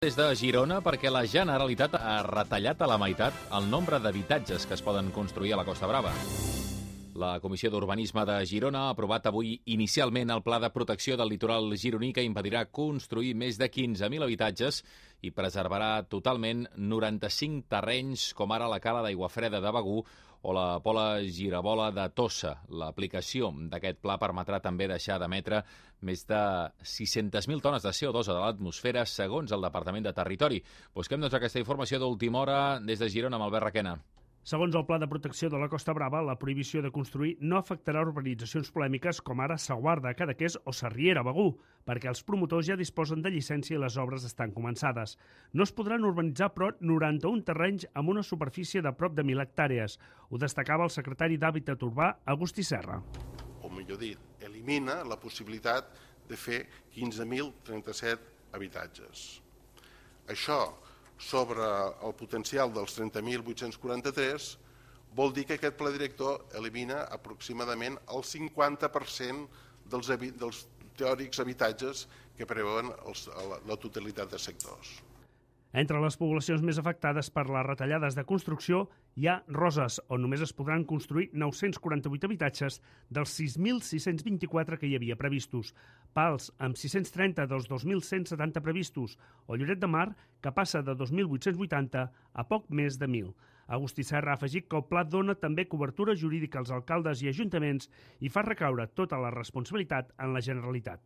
Des de Girona perquè la Generalitat ha retallat a la meitat el nombre d'habitatges que es poden construir a la Costa Brava. La Comissió d'Urbanisme de Girona ha aprovat avui inicialment el Pla de Protecció del Litoral gironí que impedirà construir més de 15.000 habitatges i preservarà totalment 95 terrenys com ara la Cala d'Aiguafreda de Begur o la Pola Girabola de Tossa. L'aplicació d'aquest pla permetrà també deixar d'emetre més de 600.000 tones de CO2 a l'atmosfera, segons el Departament de Territori. Busquem doncs aquesta informació d'última hora des de Girona amb Albert Requena. Segons el Pla de Protecció de la Costa Brava, la prohibició de construir no afectarà urbanitzacions polèmiques com ara Saguarda, Cadaqués o Sarriera, Begur, perquè els promotors ja disposen de llicència i les obres estan començades. No es podran urbanitzar, però, 91 terrenys amb una superfície de prop de 1.000 hectàrees. Ho destacava el secretari d'Hàbitat Urbà, Agustí Serra. O millor dit, elimina la possibilitat de fer 15.037 habitatges. Això, sobre el potencial dels 30.843, vol dir que aquest pla director elimina aproximadament el 50% dels teòrics habitatges que preveuen la totalitat de sectors. Entre les poblacions més afectades per les retallades de construcció hi ha Roses, on només es podran construir 948 habitatges dels 6.624 que hi havia previstos, Pals, amb 630 dels 2.170 previstos, o Lloret de Mar, que passa de 2.880 a poc més de 1.000. Agustí Serra ha afegit que el pla dona també cobertura jurídica als alcaldes i ajuntaments i fa recaure tota la responsabilitat en la Generalitat.